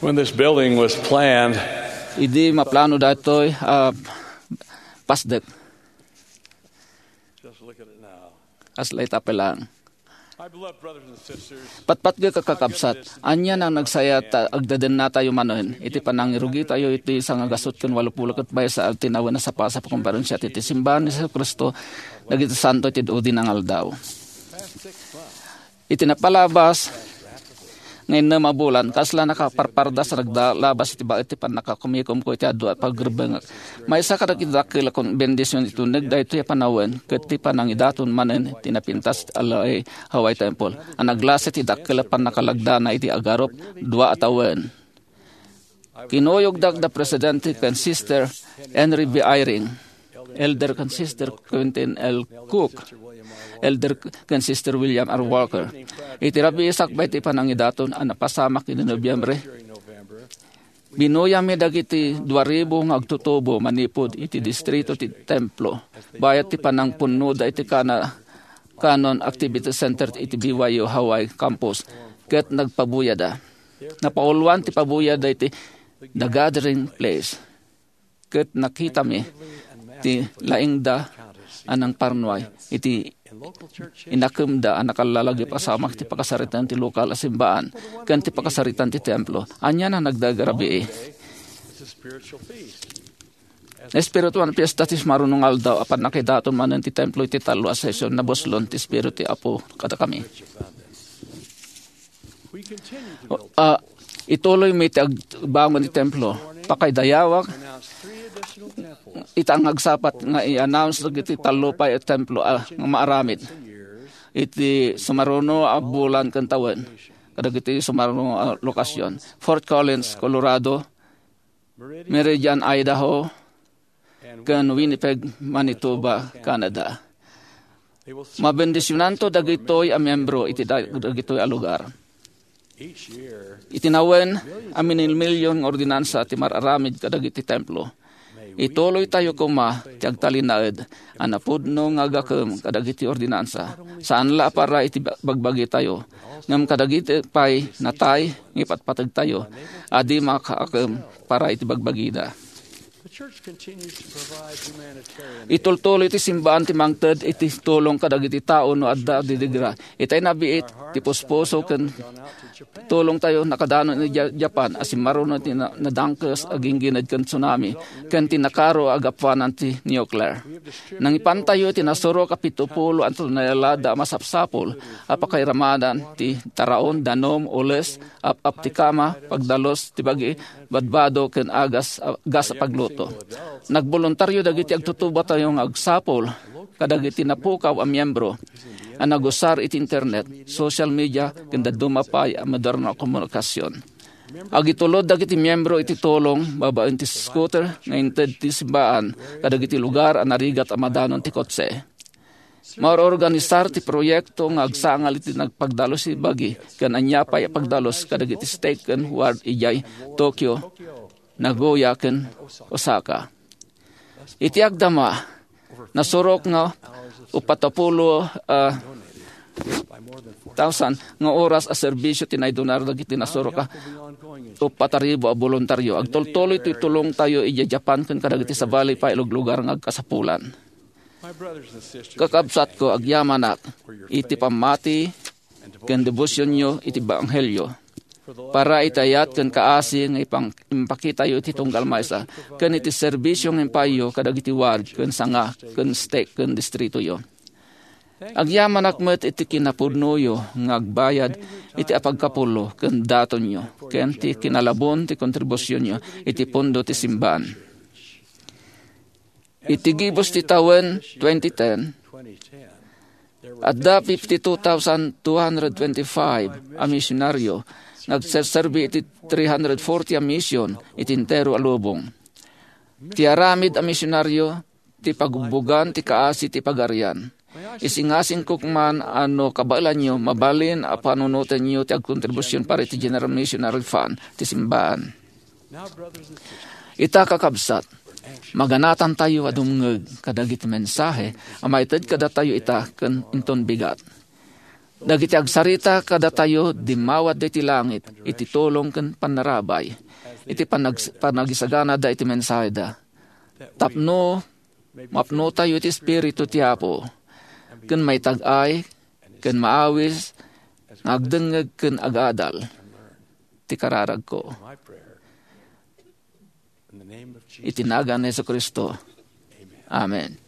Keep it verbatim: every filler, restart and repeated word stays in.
When this building was planned, idi maplano daytoy a pasdek, just look at it now. Kasla ita lang. My beloved brothers and sisters, patpatgek a kakabsat, ania nga nagsayat ta agdadennatayo manen iti panangirugitayo iti sangagasut ken walupulo ket maysa a tinawen a sapasap a komperensia ti Simbahan ni Jesu-Cristo dagiti Santo iti Udi nga Aldaw. Iti napalabas nga innem a bulan, kasla nakaparpardas a nagdalabas iti ba-, iti pannakakumikumko iti adu a pagrebbengek. Maysa kadagiti dakkel a kon-, bendision iti uneg daytoy a panawen ket ti panangidaton manen ti napintas a laeng Hawaii Temple a naglasa iti dakkel a pannakalagdana iti agarup dua a tawen. Kinuyogda da Presidente ken Sister Henry B. Eyring, Elder ken Sister Quentin L. Cook, Elder ken Sister William R. Walker. Iti rabii sakbay ti panangidaton a napasamak idi Nobyembre, binuyammi dagiti dua ribu nga agtutubo manipud iti distrito ti templo, bayat ti panangpunnoda iti kana-, Canon Activity Center iti B Y U Hawaii Campus, ket nagpabuyada. Napauluan ti pabuyada iti The Gathering Place, ket nakitami ti laingda a nangparnuay iti inakemda a nakallalag a pasamak ti pakasaritan ti lokal a simbaan ken ti pakasaritan ti templo. Ania nga nagdagarabii? Espirituan a fiesta ti sumaruno nga aldaw a pannakidaton manen ti templo iti tallo a sesion. Nabuslon ti Espiritu ti Apo kadakami. Ah, ituloymi ti agbangon ti templo. Pakaidayawak ita nga agsapat nga i-announce dagiti tallo pay a templo a nga maaramid iti sumaruno a bulan ken tawen kadagiti sumaruno a lokasyon: Fort Collins, Colorado, Meridian, Idaho, ken Winnipeg, Manitoba, Canada. Mabendisionanto dagitoy a miembro iti da-, dagitoy a lugar. Iti nawen a minilmilion nga ordinansa ti mar-aramid kadagiti templo. Ituloytayo koma ti agtalinaed a napudno nga agakem kadagiti ordinansa, saan la a para iti ba-, bagbagitayo, ngem kadagiti pay natay nga ipatpategtayo a di makaakem para iti bagbagida. Itultuloy ti simbaan ti mangted iti tulong kadagiti tao no adda didigra. Itay nabiit ti puspuso ken tulongtayo nakadanon iti Ja-, Japan a simmaruno ti na-, nadangkes a ginggined ken tsunami ken ti nakaro a gapuanan ti nuclear. Nangipantayo iti nasurok a pitupulo a tonelada a masapsapul a pakairamadan ti taraon, danum, ules, ap-ap ti kama, pagdalus ti bagi, badbado ken agas, gas a pagluto. Nagboluntario dagiti agtutubatayo nga agsapul kadagiti napukaw a miembro a nagusar iti internet, social media, ken dadduma pay a moderno a komunikasion. Agitulod dagiti miembro iti tulong babaen ti scooter nga inted ti simbaan kadagiti lugar a narigat a madanon ti kotse. Maurorganisar ti proyekto nga agsangal iti nagpagdalus ti bagi ken ania pay a pagdalus kadagiti stake ken ward idiay Tokyo, Nagoya, ken Osaka. Iti agdama, nasurok nga uppat a pulo, ah, thousand nga oras a serbisyo ti naidunar dagiti nasurok a uppat a ribu a boluntario. Agtultuloy ti tulongtayo idiay Japan ken kadagiti sabali pay a luglugar nga agkasapulan. Kakabsatko, agyamanak iti pammati ken debosionyo iti ebanghelio. Para iti ayat ken kaasi nga ipang-, impakitayo iti tunggal maysa ken iti serbisyo nga impaayyo kadagiti ward ken sanga ken stake ken distritoyo. Agyamanak met iti kinapudnoyo nga agbayad iti apagkapullo ken datonyo ken ti kinalabon ti kontribusionyo iti pondo ti simbaan. Iti gibus ti tawen twenty ten, adda fifty-two thousand two hundred twenty-five a misionaryo nga agserserbi iti three hundred forty a mission iti entero a lubong. Ti aramid a misionaryo ti pagubbugan ti kaasi ti Pagarian. Isingasingko man a no kabaelanyo, mabalin a panunotenyo ti agkontribusion para iti General Missionary Fund ti simbaan. Ita, kakabsat, maganatantayo a dumngeg kadagiti mensahe a maited kadatayo ita ken inton bigat. Dagiti agsarita kadatayo, dimmawat iti langit iti tulong ken pannarabay iti panag-, panagisaganada iti mensaheda. Tapno mapnotayo iti Espiritu ti Apo, ken maitag-ay, ken maawis, nga agdengngeg ken agadal ti kararagko. Iti nagan ni Jesu-Cristo. Amen.